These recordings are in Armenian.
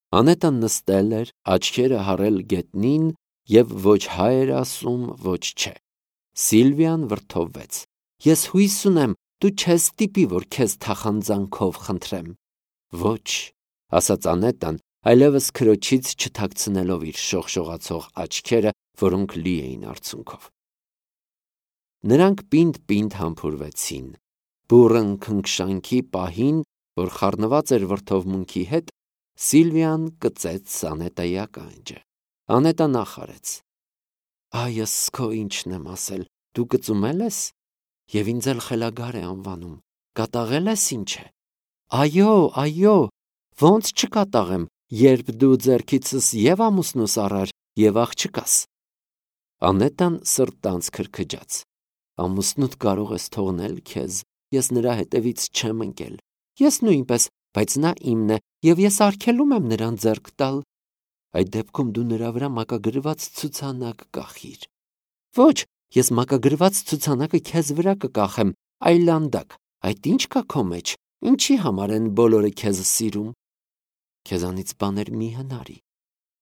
Անետան նստել էր, աչքերը հառել գետնին և ոչ հայ էր ասում, ոչ չէ։ Սիլվիան վրդովվեց. «Ես հույս ունեմ, դու չես ստիպի, որ քեզ թախանձանքով խնդրեմ»։ «Ոչ», ասաց Անետան, այլևս քրոջից չթաքցնելով իր շողշողացող աչքերը, որոնք լի էին արցունքով։ Նրանք պինդ-պինդ համբուրվեցին։ Բուռն քնքշանքի պահին, որ խառնված էր վրդովմունքի հետ, Սիլվիան կծեց Անետայի ականջը։ Անետա նախարեց. «Այս քո ինչն եմ ասել, դու կծումել ես, և ինձ էլ խելագար է անվանում, կատաղել ես ինչ է»։ Այո, ոնց չկատաղեմ, երբ դու ձեռքիցս և ամուսնուս առար, և աղջկաս։ Անետան սրտանց քրքջաց. «Ամուսնուդ կարող ես թողնել քեզ, ես նրա հետևից չեմ ընկել, ես նույնպես, բայց նա իմն է, և ես արգելում եմ նրան ձեռք տալ»։ Այդ դեպքում դու նրա վրա մակագրված ցուցանակ կախիր։ Ոչ, ես մակագրված ցուցանակը քեզ վրա կկախեմ, այլանդակ, այդ ինչ կա քո մեջ, ինչի համար են բոլորը քեզ սիրում։ Քեզանից բաներ մի հնարի։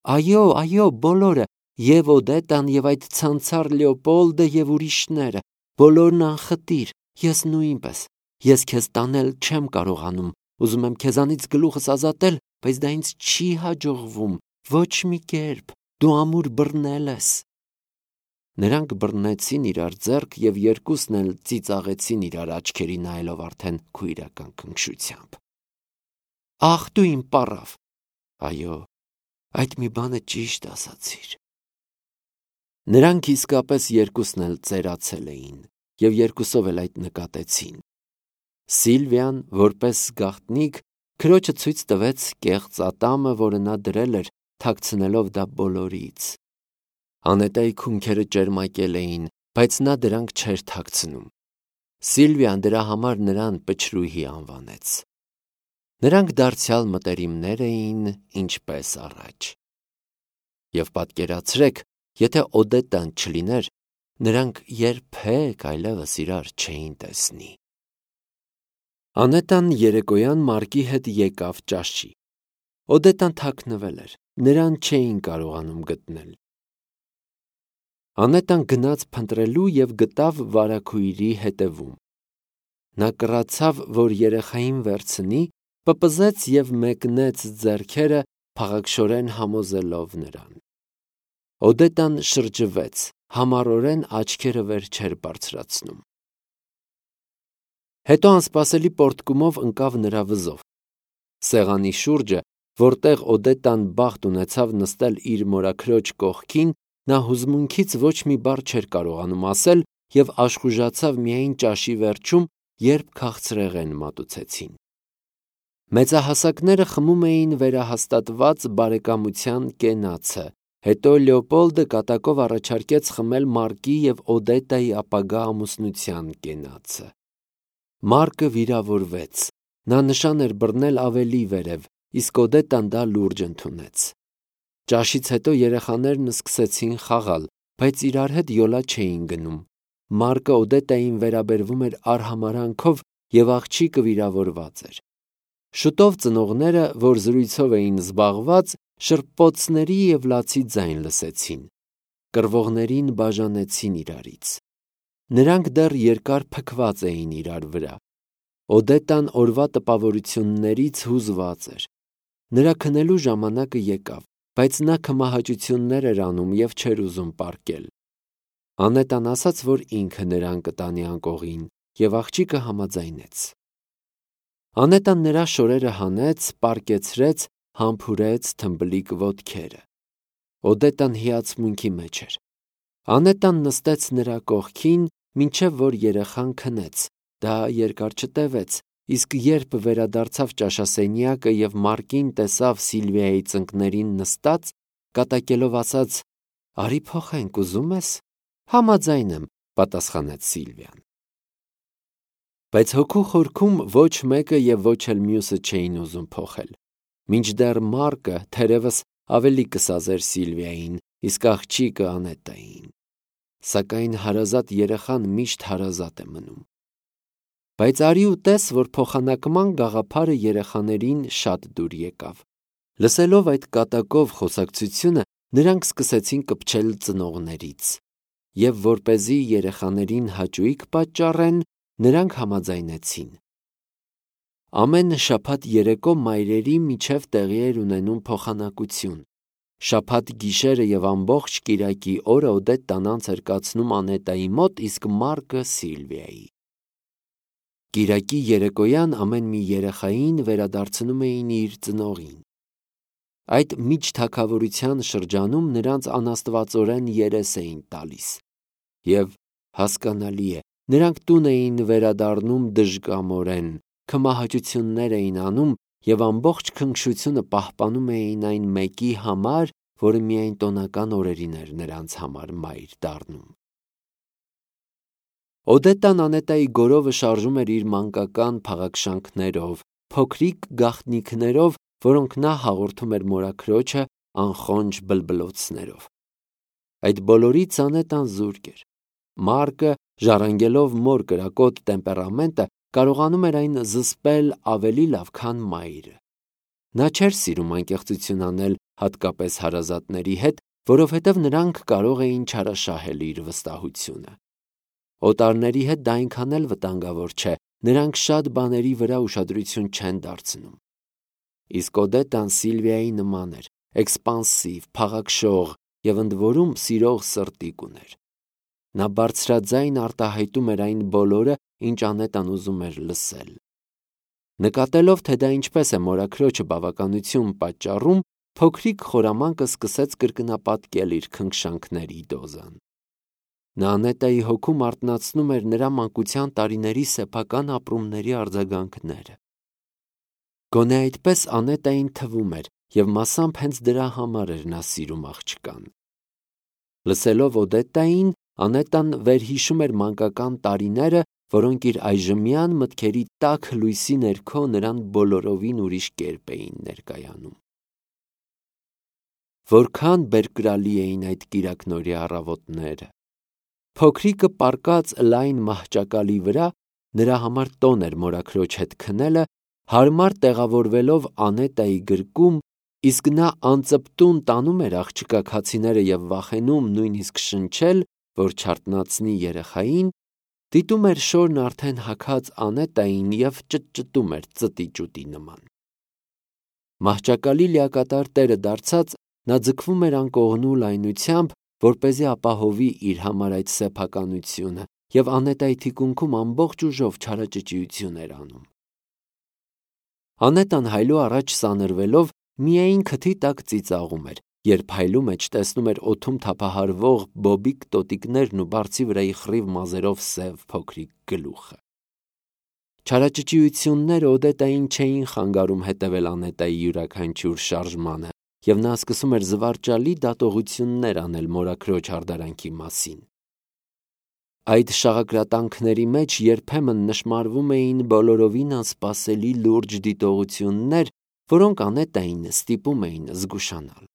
Այո, բոլորը, և Օդետան, և այդ ցանցառ Լեոպոլդը, և ուրիշները, բոլորն անխտիր, ես նույնպես, ես քեզ տանել չեմ կարողանում, ուզում եմ քեզանից գլուխս ազատել, բայց դա ինձ չի հաջողվում, ոչ մի կերպ, դու ամուր բռնել ես։ Նրանք բռնեցին իրար ձեռք և երկուսն էլ ծիծաղեցին իրար աչքերի նայելով արդեն քույրական քնքշությամբ։ Ախ, դու իմ պառավ։ Այո, այդ մի բանը ճիշտ ասացիր։ Նրանք իսկապես երկուսն էլ ծերացել էին, և երկուսով էլ այդ նկատեցին։ Սիլվիան, որպես գաղտնիք, քրոջը ցույց տվեց կեղծ ատամը, որը նա դրել էր, թաքցնելով դա բոլորից։ Անետայի քունքերը ճերմակել էին, բայց նա դրանք չէր թաքցնում։ Սիլվիան դրա համար նրան պչրուհի անվանեց։ Նրանք դարձյալ մտերիմներ էին, ինչպես առաջ։ Եվ պատկերացրեք, եթե Օդետան չլիներ, նրանք երբեք այլևս իրար չէին տեսնի։ Անետան երեկոյան Մարկի հետ եկավ ճաշի։ Օդետան թաքնվել էր, նրան չէին կարողանում գտնել։ Անետան գնաց փնտրելու և գտավ վարագույրի հետևում։ Նա կռացավ, որ երեխային վերցնի, պպզեց և մեկնեց ձեռքերը, փաղաքշորեն համոզելով նրան։ Օդետան շրջվեց, համառորեն աչքերը վեր չէր բարձրացնում։ Հետո անսպասելի պոռթկումով ընկավ նրա վզով։ Սեղանի շուրջը, որտեղ Օդետան բախտ ունեցավ նստել իր մորաքրոջ կողքին, նա հուզմունքից ոչ մի բառ չէր կարողանում ասել և աշխուժացավ միայն ճաշի վերջում, երբ քաղցրեղեն մատուցեցին։ Մեծահասակները խմում էին վերահաստատված բարեկամության կենացը, հետո Լեոպոլդը կատակով առաջարկեց խմել Մարկի և Օդետայի ապագա ամուսնության կենացը։ Մարկը վիրավորվեց, նա նշան էր բռնել ավելի վերև, իսկ Օդետան դա լուրջ ընդունեց։ Ճաշից հետո երեխաներն սկսեցին խաղալ, բայց իրար հետ յոլա չէին գնում։ Մարկը Օդետային վերաբերվում էր արհամարհանքով, և աղջիկը վիրավորված էր։ Շուտով ծնողները, որ զրույցով էին զբաղված, շրպոցների և լացի ձայն լսեցին։ Կռվողներին բաժանեցին իրարից։ Նրանք դեռ երկար փքված էին իրար վրա։ Օդետան օրվա տպավորություններից հուզված էր։ Նրա քնելու ժամանակը եկավ, բայց նա քմահաճություններ էր անում և չէր ուզում պառկել։ Անետան ասաց, որ ինքը նրան կտանի անկողին, և աղջիկը համաձայնեց։ Անետան նրա շորերը հանեց, պառկեցրեց, համբուրեց թմբլիկ ոտքերը։ Օդետան հիացմունքի մեջ էր։ Անետան նստեց նրա կողքին, մինչև որ երեխան քնեց, դա երկար չտևեց, իսկ երբ վերադարձավ ճաշասենյակը և Մարկին տեսավ Սիլվիայի ծնկներին նստած, կատակելով ասաց. «Արի փոխենք, ուզում ես»։ «Համաձայն եմ», պատասխանեց Սիլվիան։ Բայց հոգու խորքում ոչ մեկը և ոչ էլ մյուսը չէին ուզում փոխել։ Մինչդեռ Մարկը թերևս ավելի կսազեր Սիլվիային, իսկ աղջիկը Անետային։ Սակայն հարազատ երեխան միշտ հարազատ է մնում։ Բայց արի ու տես, որ փոխանակման գաղափարը երեխաներին շատ դուր եկավ։ Լսելով այդ կատակով խոսակցությունը, նրանք սկսեցին կպչել ծնողներից, և որպեսզի երեխաներին հաճույք պատճառեն, նրանք համաձայնեցին։ Ամեն շաբաթ երեկո մայրերի միջև տեղի էր ունենում փոխանակություն։ Շաբաթ գիշերը և ամբողջ կիրակի օրը Օդետտան անց էր կացնում Անետայի մոտ, իսկ Մարկը Սիլվիայի։ Կիրակի երեկոյան ամեն մի երեխային վերադարձնում էին իր ծնողին։ Այդ միջթագավորության շրջանում նրանց անաստվածորեն երես էին տալիս, և հասկանալի է, նրանք տուն էին վերադառնում դժկամորեն, քմահաճություններ էին անում և ամբողջ քնքշությունը պահպանում էին այն մեկի համար, որը միայն տոնական օրերին էր նրանց համար մայր դառնում։ Օդետտան Անետայի գորովը շարժում էր իր մանկական փաղաքշանքներով, փոքրիկ գաղտնիքներով, որոնք նա հաղորդում էր մորաքրոջը անխոնջ բլբլոցներով։ Այդ բոլորից Անետան զուրկ էր։ Մարկը, ժառանգելով մոր կրակոտ տեմպերամենտը, կարողանում էր այն զսպել ավելի լավ, քան մայրը։ Նա չէր սիրում անկեղծություն անել, հատկապես հարազատների հետ, որովհետև նրանք կարող էին չարաշահել իր վստահությունը։ Օտարների հետ դա այնքան էլ վտանգավոր չէ, նրանք շատ բաների վրա ուշադրություն չեն դարձնում։ Իսկ Օդետտան Սիլվիայի նման էր, էքսպանսիվ, փաղաքշող և ընդ որում սիրող սրտիկ ուներ։ Նա բարձրաձայն արտահայտում էր այն բոլորը, ինչ Անետան ուզում էր լսել։ Նկատելով, թե դա ինչպես է մորաքրոջը բավականություն պատճառում, փոքրիկ խորամանկը սկսեց կրկնապատկել իր քնքշանքների դոզան։ Նա Անետայի հոգում արթնացնում էր նրա մանկության տարիների սեփական ապրումների արձագանքները։ Գոնե այդպես Անետային թվում էր, և մասամբ հենց դրա համար էր նա սիրում աղջկան։ Լսելով Օդետտային, Անետան վերհիշում էր մանկական տարիները, որոնք իր այժմյան մտքերի տաք լույսի ներքո նրան բոլորովին ուրիշ կերպ էին ներկայանում։ Որքան բերկրալի էին այդ կիրակնօրյա առավոտները։ Փոքրիկը պառկած լայն մահճակալի վրա, նրա համար տոն էր մորաքրոջ հետ քնելը, հարմար տեղավորվելով Անետայի գրկում, իսկ նա անծպտուն տանում էր աղջկա քացիները և վախենում նույնիսկ շնչել, որ չարթնացնի երեխային, դիտում էր շորն արդեն հագած Անետային և ճտճտում էր ծտի-ճուտի նման։ Մահճակալի լիակատար տերը դարձած, նա ձգվում էր անկողնու լայնությամբ, որպեսզի ապահովի իր համար այդ սեփականությունը, և Անետայի թիկունքում ամբողջ ուժով չարաճճիություն էր անում։ Անետան հայլու առաջ սանրվելով միայն քթի տակ ծիծաղում էր, երբ հայլու մեջ տեսնում էր օդում թափահարվող բոբիկ տոտիկներն ու բարձի վրայի խռիվ մազերով սև փոքրիկ գլուխը։ Չարաճճիությունները Օդետային չէին խանգարում հետևել Անետայի յուրաքանչյուր շարժմանը, և նա սկսում էր զվարճալի դատողություններ անել մորաքրոջ հարդարանքի մասին։ Այդ շաղակրատանքների մեջ երբեմն նշմարվում էին բոլորովին անսպասելի լուրջ դիտողություններ, որոնք Անետային ստիպում էին զգուշանալ։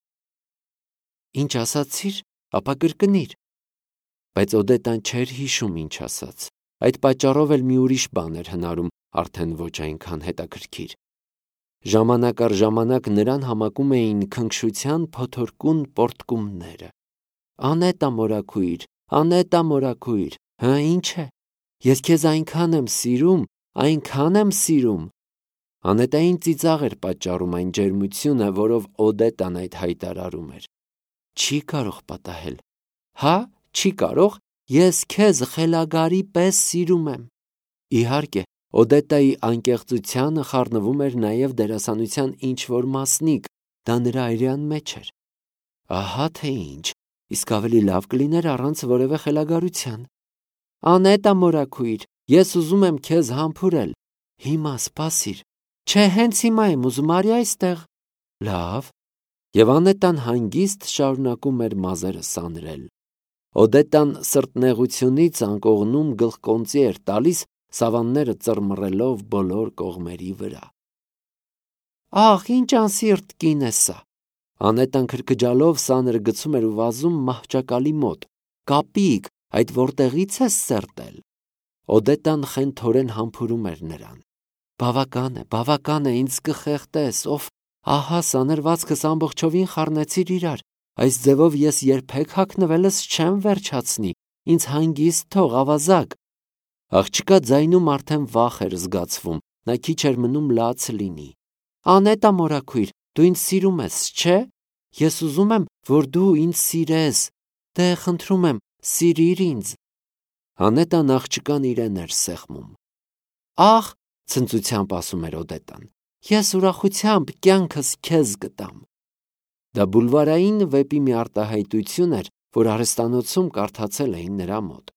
Ինչ ասացիր, ապա կրկնիր։ Բայց Օդետան չէր հիշում ինչ ասաց։ Այդ պատճառով էլ մի ուրիշ բան էր հնարում, արդեն ոչ այնքան հետաքրքիր։ Ժամանակ առ ժամանակ նրան համակում էին քնքշության փոթորկուն պոռթկումները։ Անետա մորաքույր, Անետա մորաքույր, հը ինչ է։ Ես քեզ այնքան եմ սիրում, այնքան եմ սիրում։ Անետային ծիծաղ էր պատճառում այն ջերմությունը, որով Օդետան այդ հայտարարում էր։ Չի կարող պատահել։ Հա, չի կարող։ Ես քեզ խելագարի պես սիրում եմ։ Իհարկե, Օդետայի անկեղծությանը խառնվում էր նաև դերասանության ինչ-որ մասնիկ, դա նրա այրան մեջ էր։ Ահա թե ինչ, իսկ ավելի լավ կլիներ առանց որևէ խելագարության։ Անետա մորաքույր, ես ուզում եմ քեզ համբուրել։ Հիմա սպասիր։ Չէ, հենց հիմա եմ ուզում, արի այստեղ։ Լավ։ Եվ Անետան հանգիստ շարունակում էր մազերը սանրել։ Օդետան սրտնեղությունից անկողնում գլխկոնծի էր տալիս, սավանները ծռմռելով բոլոր կողմերի վրա։ Ահ, ինչ անսիրտ կին է սա։ Անետան քրքջալով սանրը գցում էր ու վազում մահճակալի մոտ։ Կապիկ, այդ որտեղից ես սերտել։ Օդետան խենթորեն համբուրում էր նրան։ Բավական է, ինձ կխեղդես, ով ահա սանրվածքս ամբողջովին խառնեցիր իրար, այս ձևով ես երբեք հագնվելս չեմ վերջացնի, ինձ հանգիստ թող ավազակ։ Աղջկա ձայնում արդեն վախ էր զգացվում, նա քիչ էր մնում լաց լինի։ Անետա մորաքույր, դու ինձ սիրում ես, չէ՞։ Ես ուզում եմ, որ դու ինձ սիրես։ Դե խնդրում եմ, սիրիր ինձ։ Անետան աղջկան իրեն էր սեղմում։ Ախ, ցնծությամբ ասում էր Օդետան, ես ուրախությամբ կյանքս քեզ կտամ։ Դա բուլվարային վեպի մի արտահայտություն էր, որ արհեստանոցում կարդացել էին նրա մոտ։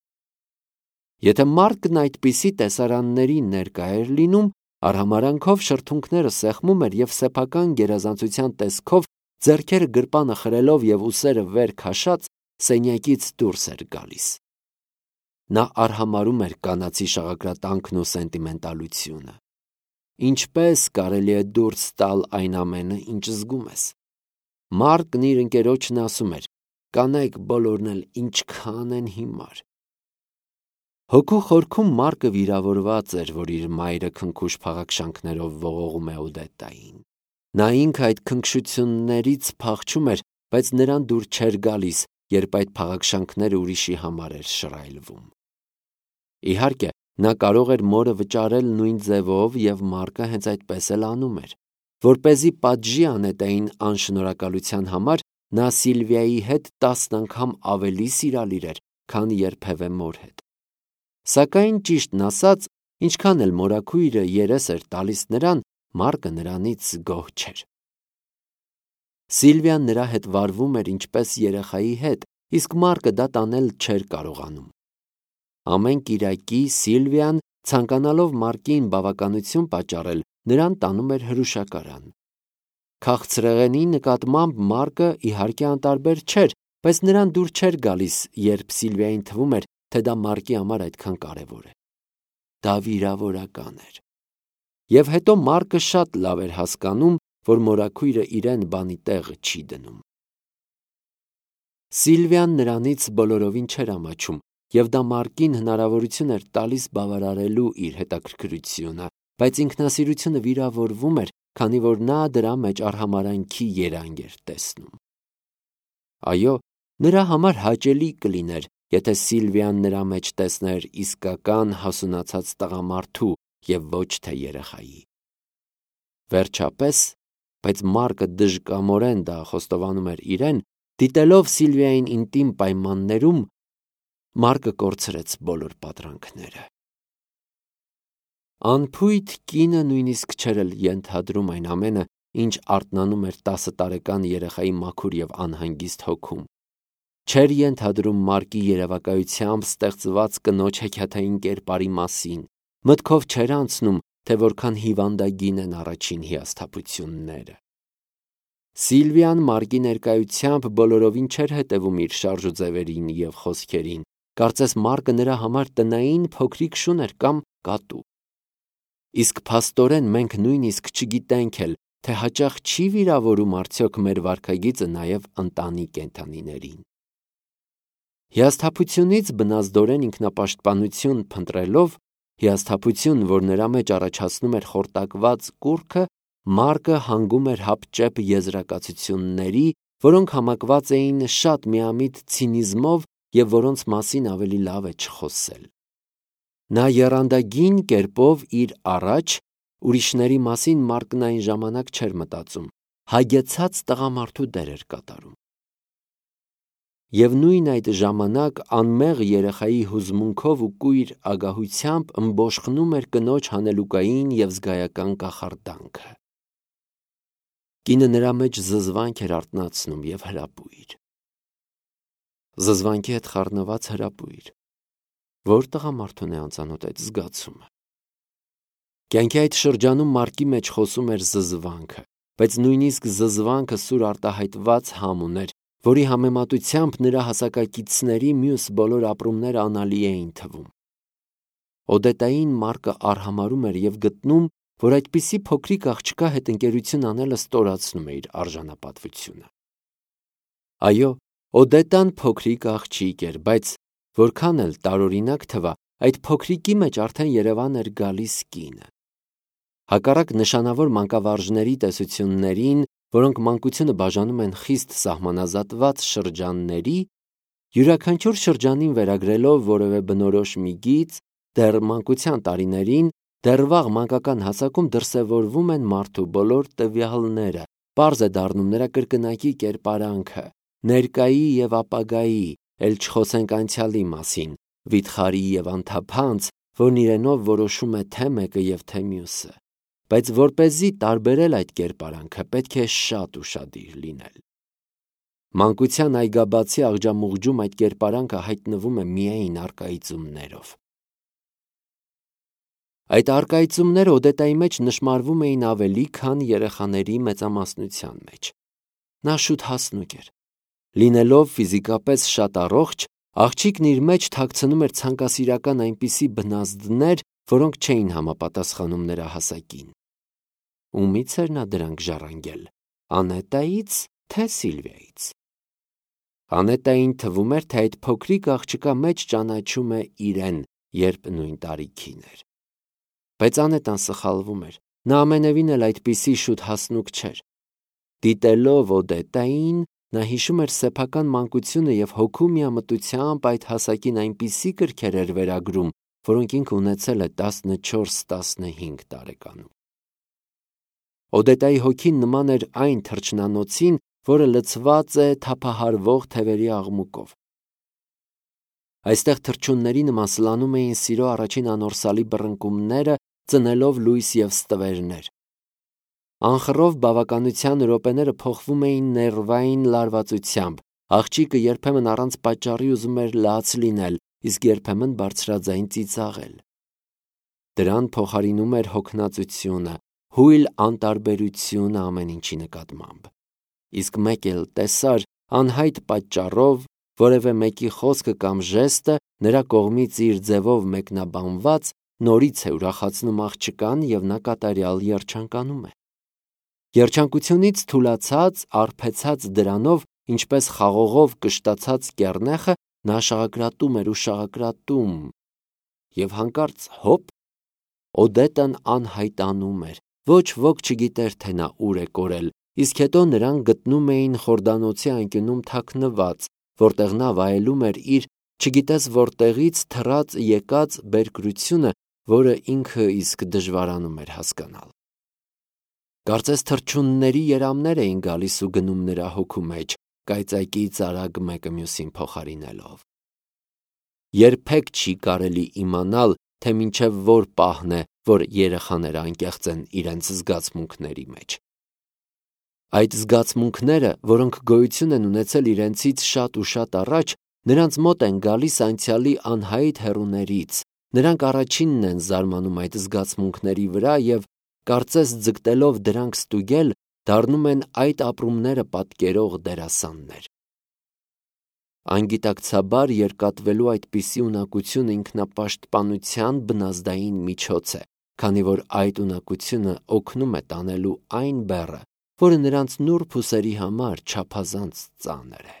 Եթե Մարկն այդպիսի տեսարանների ներկա էր լինում, արհամարանքով շրթունքները սեղմում էր և սեփական գերազանցության տեսքով ձեռքերը գրպանը խրելով և ուսերը վեր քաշած սենյակից դուրս էր գալիս։ Նա արհամարհում էր կանացի շաղակրատանքն ու սենտիմենտալությունը։ Ինչպես կարելի է դուրս տալ այն ամենը, ինչ զգում ես։ Մարկն իր ընկերոջն ասում էր. կանայք բոլորն էլ ինչքան են հիմար։ Հոգու խորքում Մարկը վիրավորված էր, որ իր մայրը քնքուշ փաղաքշանքներով ողողում է Օդետային։ Նա ինքը այդ քնքշություններից փախչում էր, բայց նրան դուր չէր գալիս, երբ այդ փաղաքշանքները ուրիշի համար էր շռայլվում։ Իհարկե, նա կարող էր մորը վճարել նույն ձևով, և Մարկը հենց այդպես էլ անում էր։ Որպեսզի պատժի Անետային անշնորհակալության համար, նա Սիլվիայի հետ 10 անգամ ավելի սիրալիր էր, քան երբևէ մոր հետ։ Սակայն ճիշտն ասած, ինչքան էլ մորաքույրը երես էր տալիս նրան, Մարկը նրանից գոհ չէր։ Սիլվիան նրա հետ վարվում էր ինչպես երեխայի հետ, իսկ Մարկը դա տանել չէր կարողանում։ Ամեն կիրակի Սիլվիան, ցանկանալով Մարկին բավականություն պատճառել, նրան տանում էր հրուշակարան։ Քաղցրեղենի նկատմամբ Մարկը իհարկե անտարբեր չէր, բայց նրան դուր չէր գալիս, երբ Սիլվիային թվում էր, թե դա Մարկի համար այդքան կարևոր է։ Դա վիրավորական էր։ Եվ հետո Մարկը շատ լավ էր հասկանում, որ մորաքույրը իրեն բանի տեղը չի դնում։ Սիլվիան նրանից բոլորովին չէր ամաչում, և դա Մարկին հնարավորություն էր տալիս բավարարելու իր հետաքրքրությունը, բայց ինքնասիրությունը վիրավորվում էր, քանի որ նա դրա մեջ արհամարհանքի երանգ էր տեսնում։ Այո, նրա համար հաճելի կլիներ, եթե Սիլվիան նրա մեջ տեսներ իսկական հասունացած տղամարդու և ոչ թե երեխայի։ Վերջապես, բայց Մարկը դժկամորեն դա խոստովանում էր իրեն, դիտելով Սիլվիային ինտիմ պայմաններում, Մարկը կորցրեց բոլոր պատրանքները։ Անփույթ կինը նույնիսկ չէր էլ ենթադրում այն ամենը, ինչ արթնանում էր 10 տարեկան երեխայի մաքուր և անհանգիստ հոգում։ Չէր ենթադրում Մարկի երևակայությամբ ստեղծված կնոջ հեքիաթային կերպարի մասին, մտքով չէր անցնում, թե որքան հիվանդագին են առաջին հիասթափությունները։ Սիլվիան Մարկի ներկայությամբ բոլորովին չէր հետևում իր շարժուձևերին և խոսքերին, կարծես Մարկը նրա համար տնային փոքրիկ շուն էր կամ կատու։ Իսկ փաստորեն մենք նույնիսկ չգիտենք էլ, թե հաճախ չի վիրավորում արդյոք մեր վարքագիծը նաև ընտանի կենդանիներին։ Հիասթափությունից բնազդորեն ինքնապաշտպանություն փնտրելով, հիասթափություն, որ նրա մեջ առաջացնում էր խորտակված կուռքը, Մարկը հանգում էր հապճեպ եզրակացությունների, որոնք համակված էին շատ միամիտ ցինիզմով և որոնց մասին ավելի լավ է չխոսել։ Նա եռանդագին կերպով իր առաջ, ուրիշների մասին Մարկն այն ժամանակ չէր մտածում, հագեցած տղամարդու դեր էր կատարում։ Եվ նույն այդ ժամանակ անմեղ երեխայի հուզմունքով ու կույր ագահությամբ ըմբոշխնում էր կնոջ հանելուկային և զգայական կախարդանքը։ Կինը նրա մեջ զզվանք էր արթնացնում և հրապույր։ Զզվանքի հետ խառնված հրապույր։ Որ տղամարդուն է անծանոթ այդ զգացումը։ Կյանքի այդ շրջանում Մարկի մեջ խոսում էր զզվանքը, բայց նույնիսկ զզվանքը սուր արտահայտված համ ուներ, որի համեմատությամբ նրա հասակակիցների մյուս բոլոր ապրումները անալի էին թվում։ Օդետային Մարկը արհամարհում էր և գտնում, որ այդպիսի փոքրիկ աղջկա հետ ընկերություն անելը ստորացնում է իր արժանապատվությունը։ Այո, Օդետան փոքրիկ աղջիկ էր, բայց որքան էլ տարօրինակ թվա, այդ փոքրիկի մեջ արդեն երևան էր գալիս կինը։ Հակառակ նշանավոր մանկավարժների տեսություններին, որոնք մանկությունը բաժանում են խիստ սահմանազատված շրջանների, յուրաքանչյուր շրջանին վերագրելով որևէ բնորոշ մի գիծ, դեռ մանկության տարիներին, դեռ վաղ մանկական հասակում դրսևորվում են մարդու բոլոր տվյալները, պարզ է դառնում նրա կրկնակի կերպարանքը, ներկայի և ապագայի, էլ չխոսենք անցյալի մասին, վիթխարի և անթափանց, որն իրենով որոշում է թե մեկը և թե մյուսը, բայց որպեսզի տարբերել այդ կերպարանքը, պետք է շատ ուշադիր լինել։ Մանկության այգաբացի աղջամուղջում այդ կերպարանքը հայտնվում է միայն առկայծումներով։ Այդ առկայծումները Օդետայի մեջ նշմարվում էին ավելի, քան երեխաների մեծամասնության մեջ։ Նա շուտ հասնուկ էր։ Լինելով ֆիզիկապես շատ առողջ, աղջիկն իր մեջ թաքցնում էր ցանկասիրական այնպիսի բնազդներ, որոնք չէին համապատասխանում նրա հասակին։ Ումից էր նա դրանք ժառանգել, Անետայից, թե Սիլվիայից։ Անետային թվում էր, թե այդ փոքրիկ աղջկա մեջ ճանաչում է իրեն, երբ նույն տարիքին էր։ Բայց Անետան սխալվում էր, նա ամենևին էլ այդպիսի շուտ հասնուկ չէր։ Դիտելով Օդետային, նա հիշում էր սեփական մանկությունը և հոգու միամտությամբ այդ հասակին այնպիսի կրքեր էր վերագրում, որոնք ինքը ունեցել է 14-15 տարեկանում։ Օդետայի հոգին նման էր այն թռչնանոցին, որը լցված է թափահարվող թևերի աղմուկով։ Այստեղ թռչունների նման սլանում էին սիրո առաջին անորսալի բռնկումները, ծնելով լույս և ստվերներ։ Անխռով բավականության րոպեները փոխվում էին ներվային լարվածությամբ, աղջիկը երբեմն առանց պատճառի ուզում էր լաց լինել, իսկ երբեմն բարձրաձայն ծիծաղել։ Դրան փոխարինում էր հոգնածությունը, հույլ անտարբերությունը ամեն ինչի նկատմամբ։ Իսկ մեկ էլ տեսար անհայտ պատճառով որևէ մեկի խոսքը կամ ժեստը նրա կողմից իր ձևով մեկնաբանված նորից է ուրախացնում աղջկան և նա կատարյալ երջանկանում է։ Երջանկությունից թուլացած, արբեցած դրանով, ինչպես խաղողով կշտացած կեռնեխը, նա շաղակրատում էր ու շաղակրատում, և հանկարծ հոպ, Օդետան անհայտանում էր, ոչ ոք չգիտեր, թե նա ուր է կորել, իսկ հետո նրան գտնում էին խորդանոցի անկյունում թաքնված, որտեղ նա վայելում էր իր չգիտես որտեղից թռած եկած բերկրությունը, որը ինքը իսկ դժվարանում էր հասկանալ։ Կարծես թռչունների երամներ էին գալիս ու գնում նրա հոգու մեջ, կայծակից արագ մեկը մյուսին փոխարինելով։ Երբեք չի կարելի իմանալ, թե մինչև որ պահն է, որ երեխաները անկեղծ են իրենց զգացմունքների մեջ։ Այդ զգացմունքները, որոնք գոյություն են ունեցել իրենցից շատ ու շատ առաջ, նրանց մոտ են գալիս անցյալի անհայտ հեռուներից, նրանք առաջինն են զարմանում այդ զգացմունքների վրա և, կարծես ձգտելով դրանք ստուգել, դառնում են այդ ապրումները պատկերող դերասաններ։ Անգիտակցաբար երկատվելու այդպիսի ունակություն ինքնապաշտպանության բնազդային միջոց է, քանի որ այդ ունակությունը օգնում է տանելու այն բեռը, որը նրանց նուրբ ուսերի համար չափազանց ծանր է։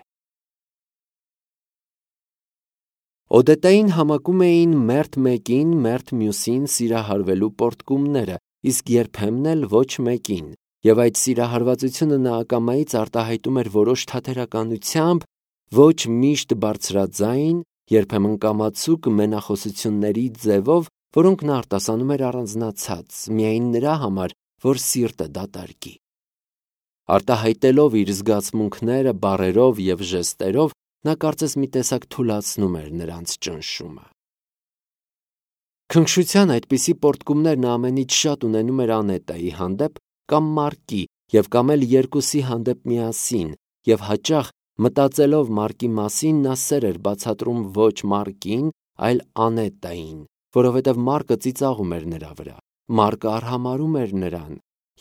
Օդետային համակում էին մերթ մեկին, մերթ մյուսին սիրահարվելու պոռթկումները, իսկ երբեմն էլ ոչ մեկին, և այդ սիրահարվածությունը նա ակամայից արտահայտում էր որոշ թատերականությամբ, ոչ միշտ բարձրաձայն, երբեմն կամացուկ մենախոսությունների ձևով, որոնք նա արտասանում էր առանձնացած, միայն նրա համար, որ սիրտը դատարկի։ Արտահայտելով իր զգացմունքները բառերով և ժեստերով, նա կարծես մի տեսակ թուլացնում էր նրանց ճնշումը։ Քնքշության այդպիսի պոռթկումներ նա ամենից շատ ունենում էր Անետայի հանդեպ կամ Մարկի և կամ էլ երկուսի հանդեպ միասին, և հաճախ մտածելով Մարկի մասին նա սեր էր բացատրում ոչ Մարկին, այլ Անետային, որովհետև Մարկը ծիծաղում էր նրա վրա, Մարկը արհամարհում էր նրան,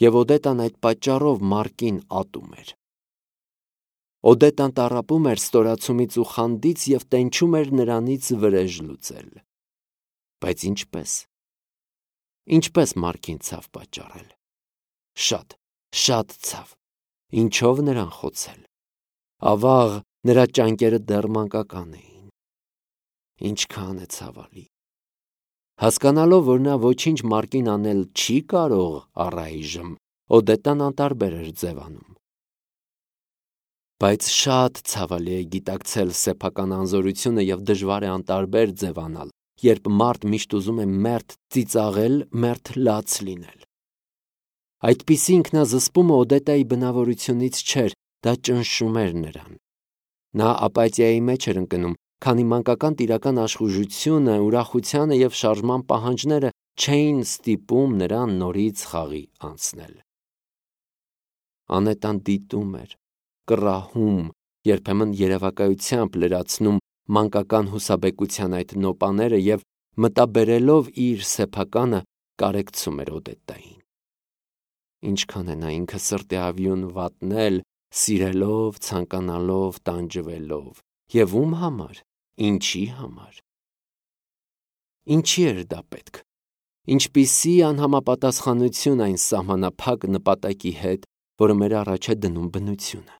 և Օդետան այդ պատճառով Մարկին ատում էր։ Օդետան տառապում էր ստորացումից ու խանդից և տենչում էր նրանից վրեժ լուծել։ Բայց ինչպե՞ս։ Ինչպե՞ս Մարկին ցավ պատճառել։ Շատ, շատ ցավ։ Ինչո՞վ նրան խոցել։ Ավաղ, նրա ճանկերը դեռ մանկական էին։ Ինչքան է ցավալի։ Հասկանալով, որ նա ոչինչ Մարկին անել չի կարող առայժմ, Օդետան անտարբեր էր ձևանում։ Բայց շատ ցավալի է գիտակցել սեփական անզորությունը եւ դժվար է անտարբեր ձևանալ, երբ մարդ միշտ ուզում է մերթ ծիծաղել, մերթ լաց լինել։ Այդպիսի ինքնազսպումը Օդետայի բնավորությունից չէր, դա ճնշում էր նրան։ Նա ապաթիայի մեջ էր ընկնում, քանի մանկական տիրական աշխուժությունը, ուրախությանը եւ շարժման պահանջները չէին ստիպում նրան նորից խաղի անցնել։ Անետան դիտում էր, կռահում, երբեմն երևակայությամբ լրացնում մանկական հուսաբեկության այդ նոպաները եւ մտաբերելով իր սեփականը կարեկցում էր Օդետային։ Ինչքան է նա ինքը սրտի ավյուն վատնել, սիրելով, ցանկանալով, տանջվելով, եւ ում համար, ինչի համար։ Ինչի էր դա պետք։ Ինչպիսի անհամապատասխանություն այն սահմանափակ նպատակի հետ, որը մեր առաջ է դնում բնությունը։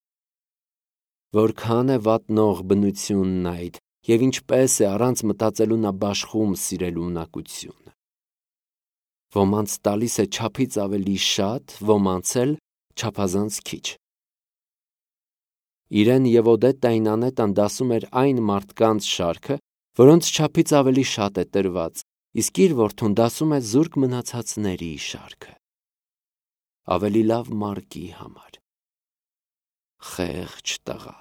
Որքան է վատնող բնությունն այդ, եւ ինչպես է առանց մտածելու նա բաշխում սիրելու ունակությունը։ Ոմանց տալիս է չափից ավելի շատ, ոմանց էլ չափազանց քիչ։ Իրեն եւ Օդետային Անետան դասում էր այն մարդկանց շարքը, որոնց չափից ավելի շատ է տրված, իսկ իր որդուն դասում է զուրկ մնացածների շարքը։ Ավելի լավ Մարկի համար։ Խեղճ տղա։